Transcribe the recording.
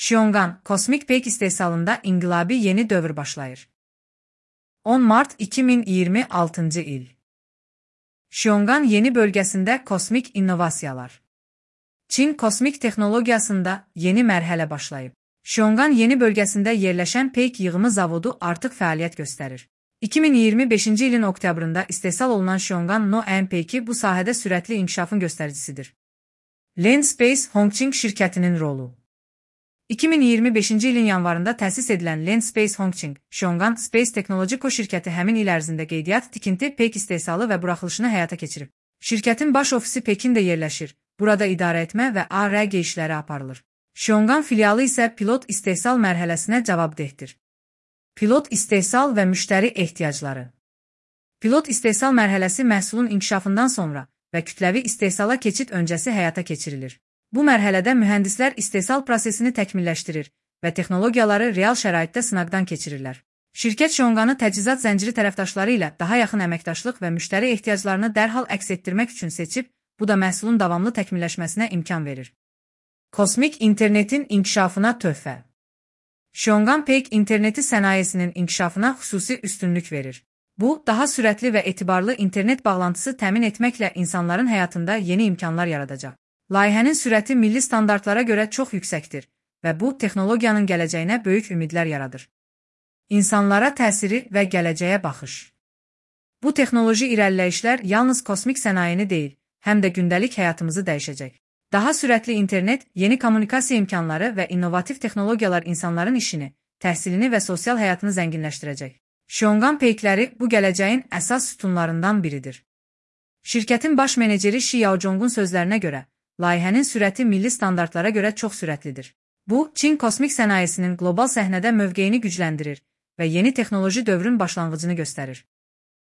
Xiong'an, kosmik peyk istehsalında inqilabi yeni dövr başlayır. 10 Mart 2026 il. Xiong'an yeni bölgesinde kosmik innovasiyalar. Çin kosmik texnologiyasında yeni mərhələ başlayıb. Xiong'an yeni bölgesinde yerleşen peyk yığımı zavodu artıq fəaliyyət göstərir. 2025 ilin oktyabrında istehsal olunan Xiong'an No-N peyki bu sahədə sürətli inkişafın göstəricisidir. Land Space Hongqing şirkətinin rolu. 2025 ilin yanvarında təsis edilən Land Space Hongqing, Xiong'an Space Technology Co şirkəti həmin il ərzində qeydiyyat, tikinti, peyk istehsalı və buraxılışını həyata keçirib. Şirkətin baş ofisi Pekində yerləşir, burada idarə etmə və AR işləri aparılır. Xiong'an filialı isə pilot istehsal mərhələsinə cavabdehdir. Pilot istehsal və müştəri ehtiyacları. Pilot istehsal mərhələsi məhsulun inkişafından sonra və kütləvi istehsala keçid öncəsi həyata keçirilir. Bu mərhələdə mühəndislər istehsal prosesini təkmilləşdirir və texnologiyaları real şəraitdə sınaqdan keçirirlər. Şirkət Xiong'anı təchizat zənciri tərəfdaşları ilə daha yaxın əməkdaşlıq və müştəri ehtiyaclarını dərhal əks etdirmək üçün seçib, bu da məhsulun davamlı təkmilləşməsinə imkan verir. Kosmik internetin inkişafına töhfə. Xiong'an peyk interneti sənayesinin inkişafına xüsusi üstünlük verir. Bu, daha sürətli və etibarlı internet bağlantısı təmin etməklə insanların həyatında yeni imkanlar yaradacaq. Layihənin sürəti milli standartlara görə çox yüksəkdir və bu, texnologiyanın gələcəyinə böyük ümidlər yaradır. İnsanlara təsiri və gələcəyə baxış. Bu texnoloji irəliləyişlər yalnız kosmik sənayeni deyil, həm də gündəlik həyatımızı dəyişəcək. Daha sürətli internet, yeni kommunikasiya imkanları və innovativ texnologiyalar insanların işini, təhsilini və sosial həyatını zənginləşdirəcək. Xiong'an peykləri bu gələcəyin əsas sütunlarından biridir. Şirkətin baş meneceri Shi Yaozhong'un sözlərinə görə, layihənin sürəti milli standartlara görə çox sürətlidir. Bu, Çin kosmik sənayesinin qlobal səhnədə mövqeyini gücləndirir və yeni texnoloji dövrün başlanğıcını göstərir.